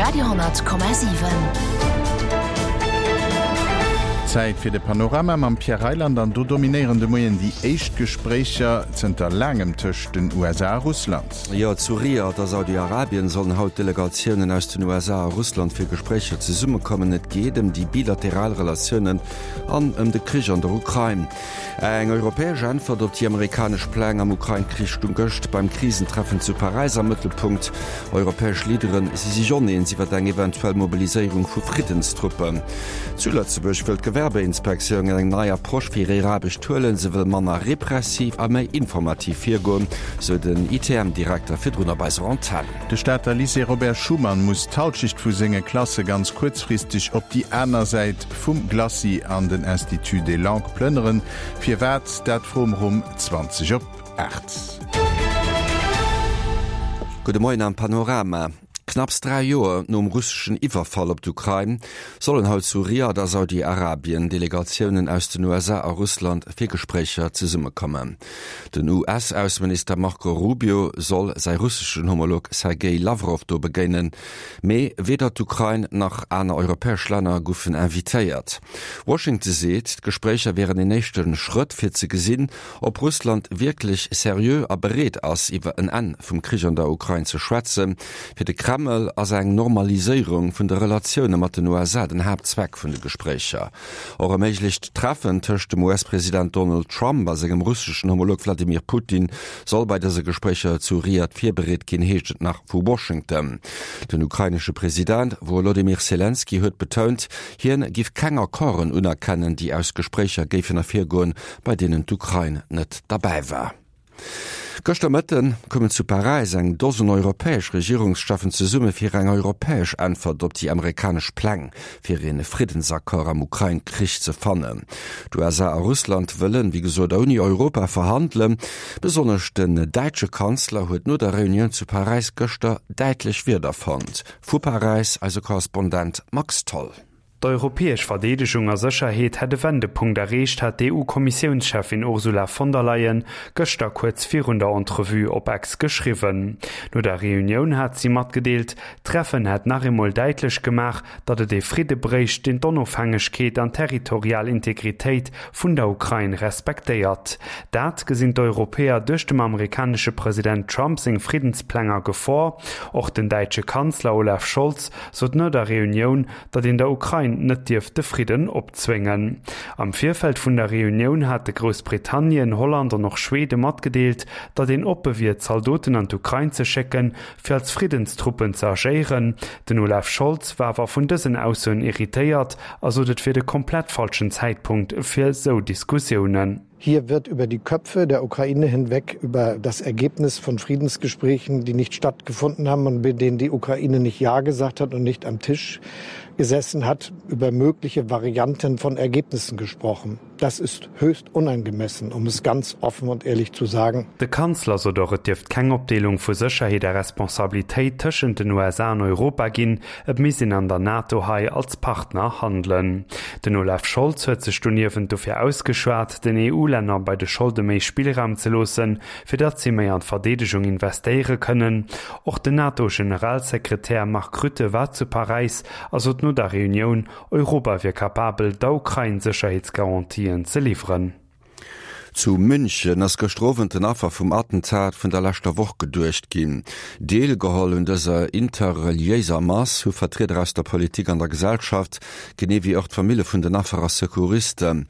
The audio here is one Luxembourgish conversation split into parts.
Radio 10,7. Zäit fir de Panorama mam Pierre Reyland an do dominéieren de Moien déi éischt Gespréicher zënter laangem tëscht den USA a Russland. Jo, zu Riad a Saudi-Arabien sollen haut Delegatiounen aus den USA a Russland fir Gespréicher zesummekommen. Et geet ëm déi bilateral Relatiounen an ëm de Krich an der Ukrain. Eng europäesch Äntwert op déi amerikanesch Pläng am Ukrain-Krich stung gëscht beim Krisentreffen zu Paräis am Mëttelpunkt. Europäesch Leadere si sech oneens iwwer eng eventuell Mobiliséierung vu Friddenstruppen. Zu Lëtzebuerg wëll d'Gewerbeinspektioun eng nei Approche fir hir Aarbecht huelen. Se wëll manner repressiv a méi informativ virgoen, sou den ITM-Direkter virdrun op eiser Antenn. De Stater Lycée Robert Schuman muss d'Halschecht vu senge Klasse ganz kuerzfristeg op déi aner Säit vum Glacis an den Institut des Langues plënneren. Firwat? Dat froe mer um 20 op 8. Gudde Moien am Panorama. Knapps 3 Joer nom russeschen Iwwerfall op d'Ukrain sollen haut zu Riad a Saudi-Arabien Delegatiounen aus den USA a Russland fir Gespréicher zesummekommen. Den US-Ausseminister Marco Rubio soll säi russeschen Homolog Sergej Lawrow do begéinen. Mee weder d'Ukrain nach aner europäesch Länner goufen invitéiert. Washington seet, d'Gespréicher wieren een éischte Schrëtt fir ze gesinn, ob Russland wierklech seriö a bereet ass, iwwer en Enn vum Krich an der Ukrain ze schwätzen. Fir de Kreml ass eng Normaliséierung vun de Relatioune mat den USA den Haaptzweck vun de Gespréicher. Och e méiglecht Treffen tëscht dem US-President Donald Trump a sengem russeschen Homolog Wladimir Putin soll bei dëse Gespréicher zu Riad virbereet ginn, heescht et nach vu Washington. Den ukrainesche President Wolodymyr Selenskyj huet betount, hien giff keng Accorden unerkennen, déi aus Gespréicher géifen ervirgoen, bei deenen d'Ukrain net derbäi war. Gëschter Mëtten koumen zu Paräis eng Dosen europäesch Regierungscheffen zesumme fir eng europäesch Äntwert op déi amerikanesch Pläng fir ee Friddensaccord am Ukrain-Krich ze fannen. D'USA a Russland wëllen, wéi gesot, ouni Europa verhandelen. Besonnesch den däitsche Kanzler huet no der Reunioun zu Paräis gëschter däitlech Wierder fonnt. Vu Paräis eise Korrespondent Max Tholl. D'europäesch Verdeedegung a Sécherheet hätt e Wendepunkt erreecht, hat d'EU-Kommissiounscheffin Ursula von der Leyen gëschter kuerz virun der Entrevue op Ex geschriwwen. No der Reunioun hat si matgedeelt, d'Treffen hätt nach eemol däitlech gemaach, datt et ee Fridde bréicht, deen d'Onofhängegkeet an d'territorial Integritéit vun der Ukrain respektéiert. Dat gesinn d'Europäer duerch dem amerikanesche President Trump seng Friddenspläng a Gefor. Och den däitsche Kanzler Olaf Scholz sot no der Reunioun, datt een der Ukrain net dierft de Fridden opzwéngen. Am Virfeld vun der Reunioun hate Groussbritannien, Holland an och Schwede matgedeelt, datt een oppe wier, Zaldoten an d'Ukrain ze schécken, fir als Friddenstruppen ze agéieren. Den Olaf Scholz war awer vun dësen Aussoen irritéiert a sot, et wier de komplett falschen Zäitpunkt fir esou Diskussiounen. Hier wird über die Köpfe der Ukraine hinweg über das Ergebnis von Friedensgesprächen, die nicht stattgefunden haben und mit denen die Ukraine nicht Ja gesagt hat und nicht am Tisch gesessen hat, über mögliche Varianten von Ergebnissen gesprochen. Das ist höchst unangemessen, um es ganz offen und ehrlich zu sagen. De Kanzler sot och, et dierft keng Opdeelung vu Sécherheet a Responsabilitéit tëschent den USA an Europa ginn, Et misst een an der NATO hei als Partner handelen. Den Olaf Scholz huet sech doniewent dofir ausgeschwat, den EU-Länner bei de Scholde méi Spillraum ze loossen, fir datt si méi an d'Verdeedegung investéiere kënnen. Och den NATO-Generalsekretär Mark Rutte war zu Paräis a sot no der Reunioun, Europa wier capabel, der Ukrain Sécherheetsgarantien ze liwweren. Zu München ass gëschter Owend den Affer vum Attentat vun der leschter Woch geduecht ginn. Deelgeholl un dëser interreliéiser Mass hu Vertrieder aus der Politik an der Gesellschaft, genee wéi och d'Famille vun den Affer a Secouristen.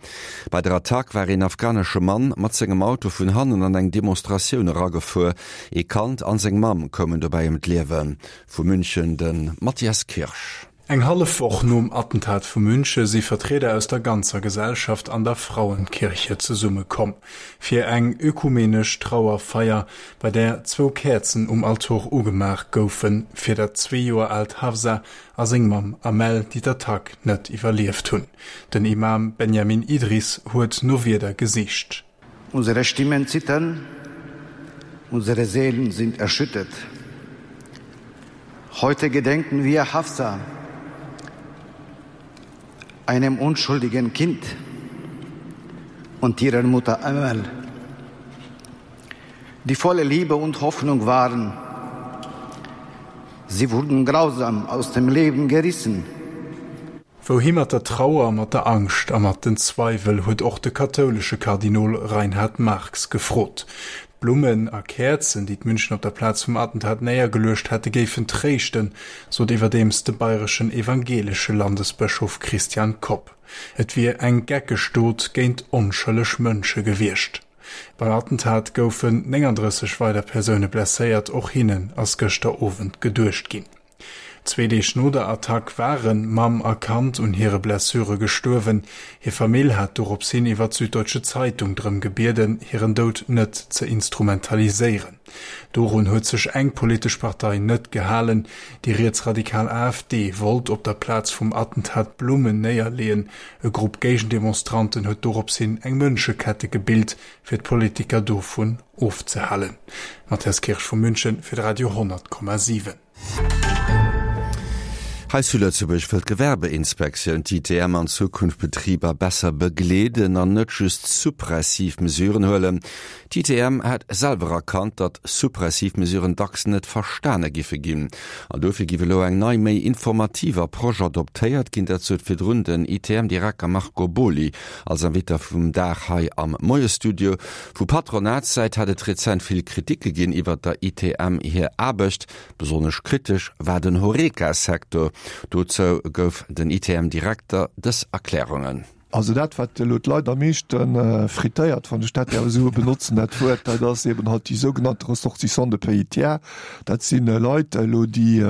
Bei der Attack war een afghanesche Mann mat sengem Auto vun hannen an eng Demonstratioun eragefuer. Ee Kand an seng Mamm koumen dobäi ëm d'Liewen. Vu München de Mathias Kirsch. Eng hallef Woch nom Attentat vu Münche si Vertrieder aus der ganzer Gesellschaft an der Frauenkirche zesumme komm, fir eng ökumenesch Trauerfeier, bei där zwou Käerzen um Altor ugemaach goufen, fir dat zwee Joer aalt Hafsa a seng Mamm Amel, déi d'Attack net iwwerlieft hunn. Den Imam Benjamin Idriss huet no Wierder gesicht. Unsere Stimmen zittern, unsere Seelen sind erschüttert. Heute gedenken wir Hafsa, einem unschuldigen Kind und ihrer Mutter Amel, die volle Liebe und Hoffnung waren. Sie wurden grausam aus dem Leben gerissen. Wouhi mat der Trauer, mat der Angscht a mat den Zweiwel, huet och de kathoulesche Kardinol Reinhard Marx gefrot. D'Blummen a Käerzen, déi d'München op der Plaz vum Attentat néiergeluecht hätte, géifen tréischten, sot iwwerdeems de bayreschen evangeelesche Landesbëschof Christian Kopp. Et wier eng geckeg Dot géint onschëlleg Mënsche gewiescht. Beim Attentat goufen 39 weider Persoune blesséiert, och hinnen ass gëschter Owend geduecht ginn. Zwee Deeg no der Attack ware Mamm a Kand un hire Blessure gestuerwen. Hir Famill hat dorops hin iwwer d'Süddeutsche Zeitung drëm gebieden, hiren Doud net ze instrumentaliséieren. Dorun huet sech eng politesch Partei net gehalen. Déi rietsradikal AfD wollt op der Plaz vum Attentat Blummen néierleeën. E Grupp Géigendemonstranten huet dorops hin eng Mënschekette gebilt, fir d'Politiker dovun ofzehalen. Matthias Kirsch vu München fir de Radio 10,7. Hei zu Lëtzebuerg wëll d'Gewerbeinspektioun, d'ITM, an Zukunft Betriber besser begleeden an net just suppressiv Mesuren huelen. D'ITM hätt selwer erkannt, datt suppressiv Mesuren dacks net verstane giffe ginn. An dofir giff elo eng nei, méi informativ Approche adoptéiert ginn. Dat sot virdrun den ITM-Direkter Marco Boly als Inviter vum Dag hei am Moiesstudio. Vu Patronatssäit hätt et rezent vill Kriticke ginn iwwert der ITM hir Aarbecht. Besonnesch kritesch war den Horeca-Secteur. Dozou gouf den ITM-Direkter dës Erklärungen. Also dat, wat elo d'Leit am meeschte frittéiert, wann ech dat däerf esou benotzen, dat Wuert, dat ass eben halt déi sougenannte Ressortissants de pays tiers. Dat si Leit elo, déi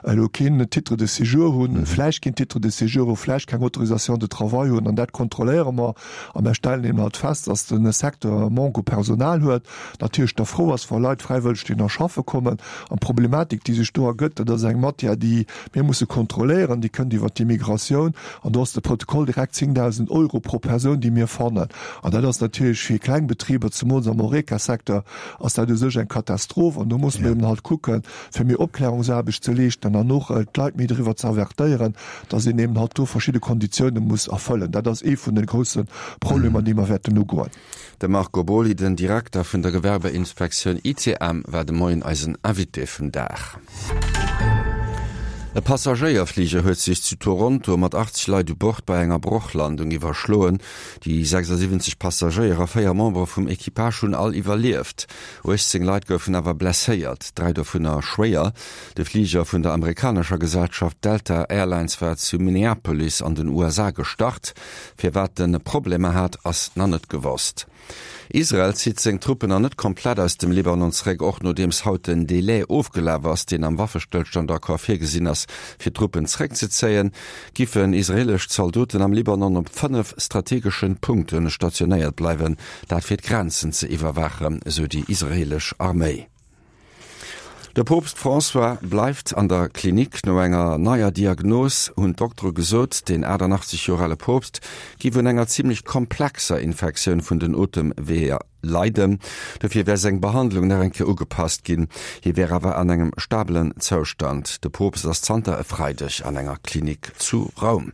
elo keen Titre de séjour hunn, vläicht keen Titre de séjour hunn, vläicht keng Autorisation de travail hunn, an dat kontrolléiere mer. A mer stellen eben halt fest, dass de Secteur e Manque u Personal huet, natierlech da frou ass, wa Leit fräiwëlleg dohinner schaffe kommen. An d'Problematik, déi sech do ergëtt, dat ass eng Matière, déi mir musse kontrolléieren, déi kënnt iwwert d'Immigratioun. An do ass de Protokoll direkt 10.000 Euro pro Persoun, déi mir fannen. An dat ass natierlech fir kleng Betriber, zemools am Horeca-Secteur, ass dat u sech eng Katastroph. An do musse mer eben halt kucken, fir méi Opklärungsaarbecht ze leeschten an och d'Leit méi driwwer ze avertéieren, dass een eben halt do verschidde Konditioune muss erfëllen. Dat ass ee vun de grousse Problemer, déi mer wäerten ugoen. De Marco Boly, den Direkter vun der Gewerbeinspektioun ICM, war de Moien eisen Invité vum Dag. E Passagéierfliger huet sech zu Toronto mat 80 Leit u Bord bei enger Brochlandung iwwerschloen. Déi 76 Passagéier a 4 Membere vum Equipage hunn all iwwerlieft. 18 Leit goufen awer blesséiert, 3 dovunner schwéier. De Fliger vun der amerikanescher Gesellschaft Delta Airlines war zu Minneapolis an den USA gestart. Firwat en Problemer hat, ass nach net gewosst. Israel zitt seng Truppen nach net komplett aus dem Libanon zeréck, och nodeems haut den Delai ofgelaf ass, deen am Waffestëllstandaccord virgesinn ass, fir d'Truppen zeréckzezéien. Giffen israeelesch Zaldoten am Libanon op 5 strategeschen Punkte stationéiert bleiwen, dat fir d'Grenzen ze iwwerwaachen, esou déi israeelesch Arméi. De Poopst François bleift an der Klinik. No enger neier Diagnos hunn d'Doktere gesot, den 88 Joer ale Poopst giff un enger zimmlech komplexer Infektioun vun den Otemweeër leiden. Dofir wär seng Behandlung nach eng Kéier ugepasst ginn. Hie wär awer an engem stabelen Zoustand. De Poopst ass zanter e Freideg an enger Klinik zu Roum.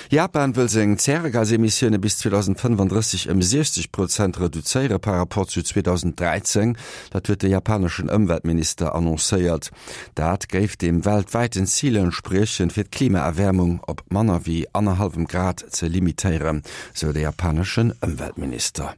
Japan wëll seng Zäregasemissioune bis 2035 ëm 60 Prozent reduzéiere par rapport zu 2013. Dat huet de japaneschen Ëmweltminister annoncéiert. Dat géif dem weltwäiten Zil entspriechen, fir d'Klimaerwäermung op manner wéi annerhallwem Grad ze limitéieren, sou de japaneschen Ëmweltminister.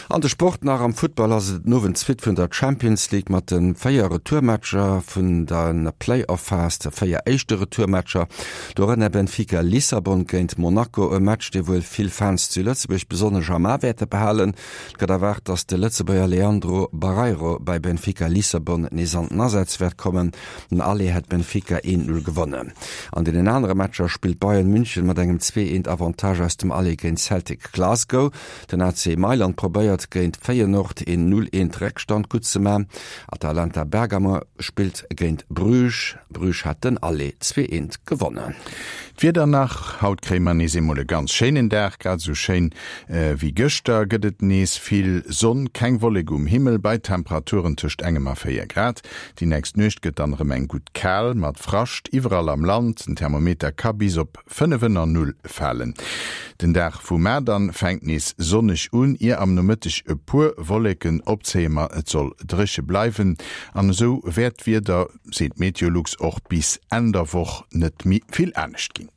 An de Sport nach, Am Futtball ass et den Owend d'Suite vun der Champions League mat de 4 Retourmatcher vun der Play-Off-Phas, de 4 éischte Retourmatcher, dorënner Benfica Lissabon géint Monaco, e Match dee wuel vill Fans zu Lëtzebuerg besonnesch am A wäerte behalen. Et gëtt erwaart, datt de Lëtzebuerger Leandro Barreiro bei Benfica Lissabon nees an den Asaz wäert kommen. Den Aller hätt Benfica 1, 0 gewonnen. An deenen anere Matcher spillt Bayern München mat engem 2, 1 Avantage aus dem Aller géint Celtic Glasgow. Den AC Mailand probéiert géint Feyenoord een 0, 1 Réckstand gutt ze man. Atalanta Bergamo spillt géint Bruges. Bruges hat den Aller 2, 1 gewonnen. D'Wieder nach, Haut kréie mer nees eemol e ganz schéinen Dag, grad esou schéin wéi gëschter gëtt et nees vill Sonn, keng Wollek um Himmel bei Temperaturen tëscht engem a 4 Grad. Déi nächst Nuecht gëtt dann erëm eng gutt kal, mat Frascht iwwerall am Land. Den Thermometer ka bis op 5 ënner Null falen. Den Dag vu mar dann fänkt nees sonneg un, ier am Nomëtteg e puer Wolleken opzéie, ma et soll dréche bleiwen an esou wäert d'Wieder, seet Meteolux, och bis Enn der Woch net méi vill anescht ginn.